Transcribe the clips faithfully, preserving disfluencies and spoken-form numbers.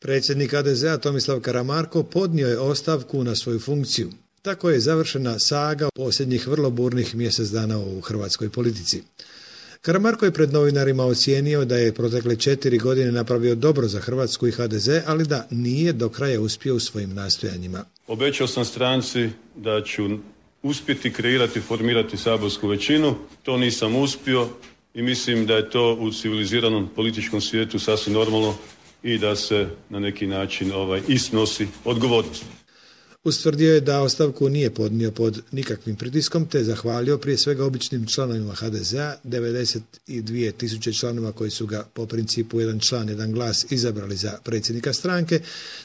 Predsjednik ha de zea Tomislav Karamarko podnio je ostavku na svoju funkciju. Tako je završena saga posljednjih vrlo burnih mjesec dana u hrvatskoj politici. Karamarko je pred novinarima ocijenio da je protekle četiri godine napravio dobro za Hrvatsku i ha de ze, ali da nije do kraja uspio u svojim nastojanjima. Obećao sam stranci da ću uspjeti kreirati, formirati saborsku većinu. To nisam uspio i mislim da je to u civiliziranom političkom svijetu sasvim normalno i da se na neki način ovaj, i snosi odgovornost. Ustvrdio je da ostavku nije podnio pod nikakvim pritiskom, te zahvalio prije svega običnim članovima ha de zea, devedeset dvije tisuće članova koji su ga po principu jedan član, jedan glas izabrali za predsjednika stranke,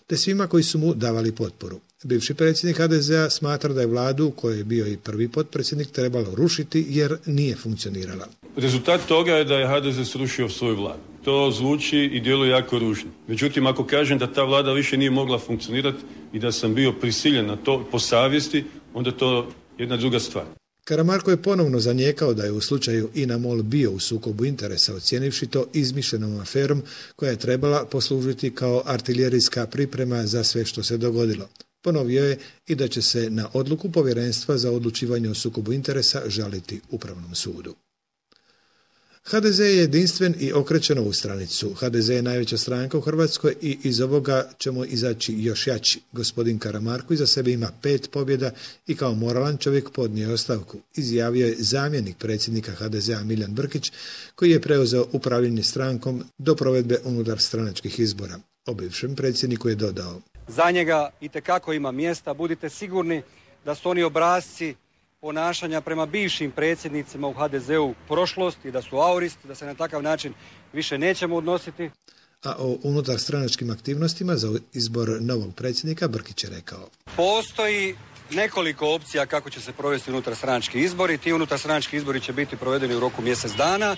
te svima koji su mu davali potporu. Bivši predsjednik ha de zea smatra da je vladu, u kojoj je bio i prvi potpredsjednik, trebalo rušiti jer nije funkcionirala. Rezultat toga je da je ha de ze srušio svoju vladu. To zvuči i djeluje jako ružno. Međutim, ako kažem da ta vlada više nije mogla funkcionirati i da sam bio prisiljen na to po savjesti, onda to je jedna druga stvar. Karamarko je ponovno zanijekao da je u slučaju INA MOL bio u sukobu interesa, ocijenivši to izmišljenom aferom koja je trebala poslužiti kao artiljerijska priprema za sve što se dogodilo. Ponovio je i da će se na odluku Povjerenstva za odlučivanje o sukobu interesa žaliti Upravnom sudu. ha de ze je jedinstven i okrećen ovu stranicu. ha de ze je najveća stranka u Hrvatskoj i iz ovoga ćemo izaći još jači. Gospodin Karamarko iza sebe ima pet pobjeda i kao moralan čovjek podnio je ostavku, izjavio je zamjenik predsjednika ha de zea Milijan Brkić, koji je preuzeo upravljanje strankom do provedbe unutar stranačkih izbora. O bivšem predsjedniku je dodao: Za njega itekako ima mjesta, budite sigurni da su oni obrasci ponašanja prema bivšim predsjednicima u ha de zeu prošlost i da su auristi, da se na takav način više nećemo odnositi. A o unutar stranačkim aktivnostima za izbor novog predsjednika Brkić je rekao: Postoji nekoliko opcija kako će se provesti unutar stranački izbori. Ti unutar stranački izbori će biti provedeni u roku mjesec dana.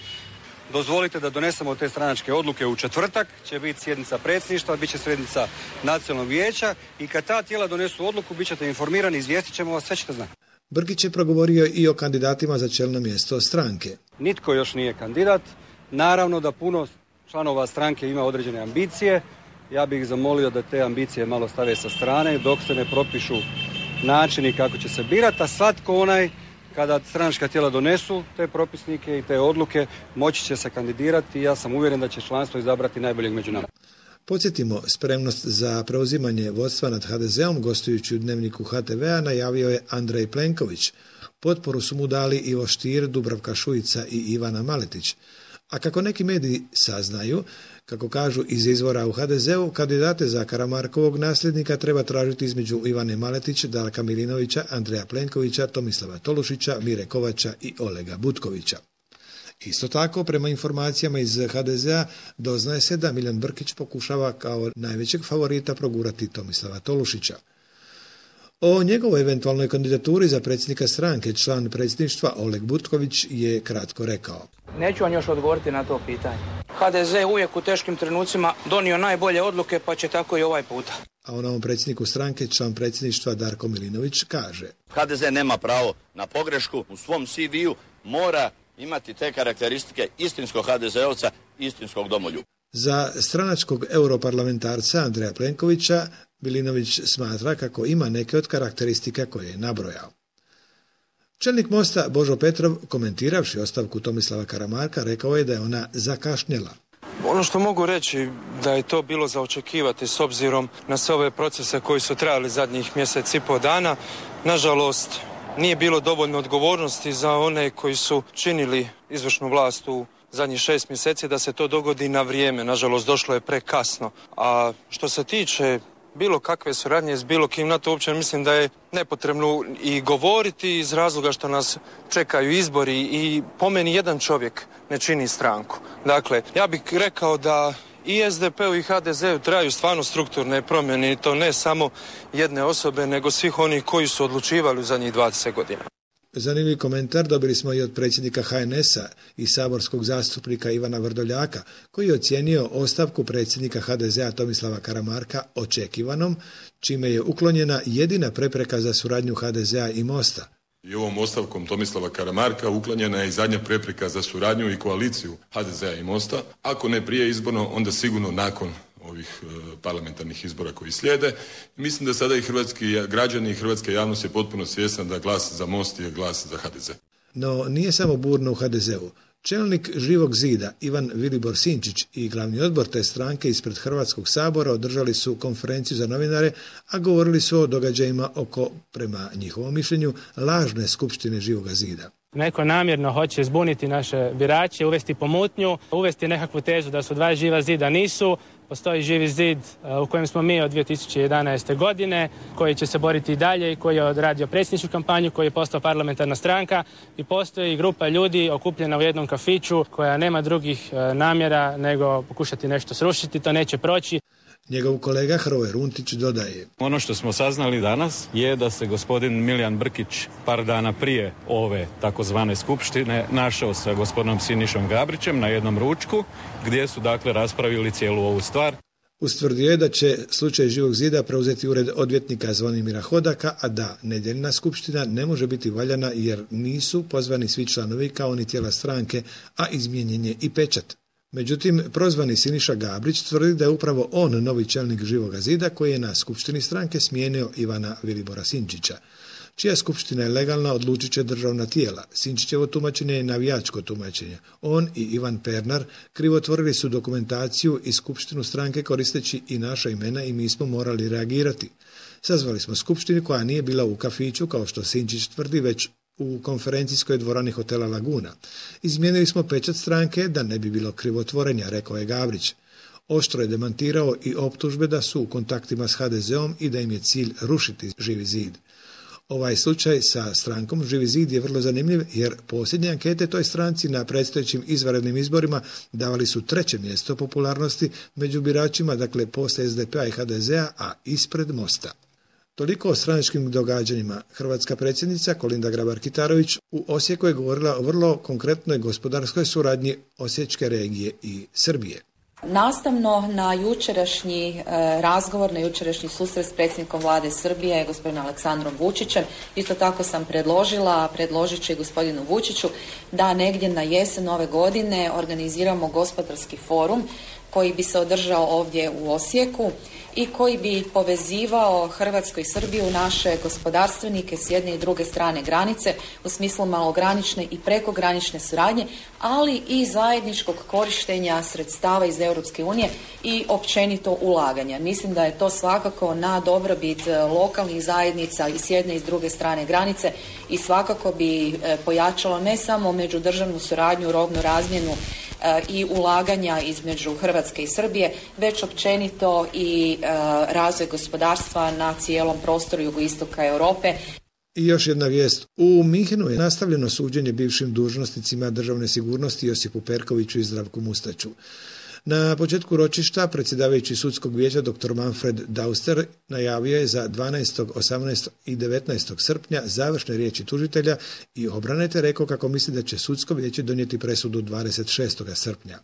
Dozvolite da donesemo te stranačke odluke u četvrtak, će biti sjednica predsjedništva, bit će sjednica nacionalnog vijeća i kad ta tijela donesu odluku, bit ćete informirani, izvijestit ćemo vas, sve ćete znati. Brkić je progovorio i o kandidatima za čelno mjesto stranke. Nitko još nije kandidat. Naravno da puno članova stranke ima određene ambicije. Ja bih ih zamolio da te ambicije malo stave sa strane dok se ne propišu načini kako će se birati, a svatko onaj kada stranačka tijela donesu te propisnike i te odluke moći će se kandidirati i ja sam uvjeren da će članstvo izabrati najboljeg među nama. Podsjetimo, spremnost za preuzimanje vodstva nad ha de zeom gostujući u dnevniku ha te vea najavio je Andrej Plenković. Potporu su mu dali Ivo Stier, Dubravka Šuica i Ivana Maletić. A kako neki mediji saznaju, kako kažu iz izvora u ha de zeu, kandidate za Karamarkovog nasljednika treba tražiti između Ivane Maletić, Darka Milinovića, Andreja Plenkovića, Tomislava Tolušića, Mire Kovača i Olega Butkovića. Isto tako, prema informacijama iz ha de zea, doznaje se da Milijan Brkić pokušava kao najvećeg favorita progurati Tomislava Tolušića. O njegovoj eventualnoj kandidaturi za predsjednika stranke član predsjedništva Oleg Butković je kratko rekao: Neću vam još odgovoriti na to pitanje. ha de ze uvijek u teškim trenucima donio najbolje odluke, pa će tako i ovaj puta. A o novom predsjedniku stranke član predsjedništva Darko Milinović kaže: ha de ze nema pravo na pogrešku, u svom ce ve-u mora imati te karakteristike istinskog ha de zeovca, istinskog domoljuba. Za stranačkog europarlamentarca Andreja Plenkovića Milinović smatra kako ima neke od karakteristika koje je nabrojao. Čelnik Mosta Božo Petrov, komentiravši ostavku Tomislava Karamarka, rekao je da je ona zakašnjela. Ono što mogu reći da je to bilo za očekivati s obzirom na sve ove procese koji su trajali zadnjih mjesec i pol dana. Nažalost, nije bilo dovoljno odgovornosti za one koji su činili izvršnu vlast u zadnjih šest mjeseci da se to dogodi na vrijeme. Nažalost, došlo je prekasno. A što se tiče bilo kakve suradnje s bilo kim, na to uopće mislim da je nepotrebno i govoriti iz razloga što nas čekaju izbori i po meni jedan čovjek ne čini stranku. Dakle, ja bih rekao da i es de pe-u i ha de zeu traju stvarno strukturne promjene i to ne samo jedne osobe, nego svih onih koji su odlučivali u zadnjih dvadeset godina. Zanimljiv komentar dobili smo i od predsjednika ha en es-a i saborskog zastupnika Ivana Vrdoljaka, koji je ocijenio ostavku predsjednika ha de zea Tomislava Karamarka očekivanom, čime je uklonjena jedina prepreka za suradnju ha de zea i Mosta. I ovom ostavkom Tomislava Karamarka uklonjena je i zadnja prepreka za suradnju i koaliciju ha de zea i Mosta. Ako ne prije izborno, onda sigurno nakon ovih parlamentarnih izbora koji slijede. Mislim da sada i hrvatski građani i hrvatska javnost je potpuno svjesna da glas za Most je glas za H D Z. No nije samo burno u H D Z-u. Čelnik Živog zida Ivan Vilibor Sinčić i glavni odbor te stranke ispred Hrvatskog sabora održali su konferenciju za novinare, a govorili su o događajima oko, prema njihovom mišljenju, lažne skupštine Živoga zida. Neko namjerno hoće zbuniti naše birače, uvesti pomutnju, uvesti nekakvu tezu da su dva Živa zida, nisu. Postoji Živi zid u kojem smo mi od dvije tisuće jedanaeste. godine, koji će se boriti i dalje i koji je odradio predsjedničku kampanju, koji je postao parlamentarna stranka i postoji grupa ljudi okupljena u jednom kafiću koja nema drugih namjera nego pokušati nešto srušiti, to neće proći. Njegov kolega Hrvoje Runtić dodaje: Ono što smo saznali danas je da se gospodin Milijan Brkić par dana prije ove takozvane skupštine našao sa gospodinom Sinišom Gabrićem na jednom ručku gdje su dakle raspravili cijelu ovu stvar. Ustvrdio je da će slučaj Živog zida preuzeti ured odvjetnika Zvonimira Hodaka, a da nedjeljna skupština ne može biti valjana jer nisu pozvani svi članovi kao ni tijela stranke, a izmijenjen je i pečat. Međutim, prozvani Siniša Gabrić tvrdi da je upravo on novi čelnik Živoga zida koji je na skupštini stranke smijenio Ivana Vilibora Sinčića. Čija skupština je legalna, odlučit će državna tijela. Sinčićevo tumačenje je navijačko tumačenje. On i Ivan Pernar krivotvorili su dokumentaciju i skupštinu stranke koristeći i naša imena i mi smo morali reagirati. Sazvali smo skupštinu koja nije bila u kafiću, kao što Sinčić tvrdi, već u konferencijskoj dvorani hotela Laguna. Izmijenili smo pečat stranke da ne bi bilo krivotvorenja, rekao je Gabrić. Oštro je demantirao i optužbe da su u kontaktima s H D Z-om i da im je cilj rušiti Živi zid. Ovaj slučaj sa strankom Živi zid je vrlo zanimljiv jer posljednje ankete toj stranci na predstojećim izvanrednim izborima davali su treće mjesto popularnosti među biračima, dakle poslije S D P-a i H D Z-a, a ispred Mosta. Toliko o stranačkim događanjima. Hrvatska predsjednica Kolinda Grabar-Kitarović u Osijeku je govorila o vrlo konkretnoj gospodarskoj suradnji Osječke regije i Srbije. Nastavno na jučerašnji e, razgovor, na jučerašnji susret s predsjednikom vlade Srbije, gospodinom Aleksandrom Vučićem, isto tako sam predložila, predložit ću i gospodinu Vučiću, da negdje na jesen ove godine organiziramo gospodarski forum koji bi se održao ovdje u Osijeku i koji bi povezivao Hrvatsku i Srbiju, naše gospodarstvenike s jedne i druge strane granice u smislu malogranične i prekogranične suradnje, ali i zajedničkog korištenja sredstava iz Europske unije i općenito ulaganja. Mislim da je to svakako na dobrobit lokalnih zajednica i s jedne i s druge strane granice i svakako bi pojačalo ne samo međudržavnu suradnju, robnu razmjenu i ulaganja između Hrvatske i Srbije, već općenito i e, razvoj gospodarstva na cijelom prostoru jugoistoka Europe. I još jedna vijest. U Minhenu je nastavljeno suđenje bivšim dužnosnicima državne sigurnosti Josipu Perkoviću i Zdravku Mustaću. Na početku ročišta predsjedavajući sudskog vijeća dr. Manfred Dauster najavio je za dvanaestog, osamnaestog i devetnaestog srpnja završne riječi tužitelja i obrane, te rekao kako misli da će sudsko vijeće donijeti presudu dvadeset šestog srpnja.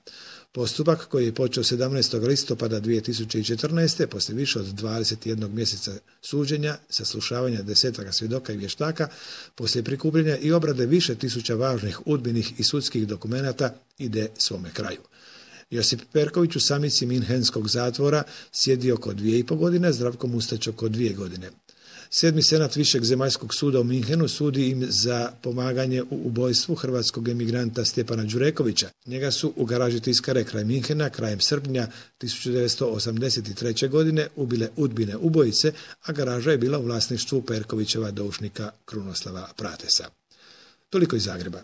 Postupak koji je počeo sedamnaestog listopada dvije tisuće četrnaeste. poslije više od dvadeset jednog mjeseca suđenja, saslušavanja desetaka svjedoka i vještaka, poslije prikupljanja i obrade više tisuća važnih udbenih i sudskih dokumenata ide svome kraju. Josip Perković u samici Minhenskog zatvora sjedi oko dvije i po godine, Zdravko Mustać oko dvije godine. Sedmi senat Višeg zemaljskog suda u Minhenu sudi im za pomaganje u ubojstvu hrvatskog emigranta Stjepana Đurekovića. Njega su u garaži Tiskare kraj Minhena krajem srpnja tisuću devetsto osamdeset treće. godine ubile udbine ubojice, a garaža je bila u vlasništvu Perkovićeva doušnika Krunoslava Pratesa. Toliko iz Zagreba.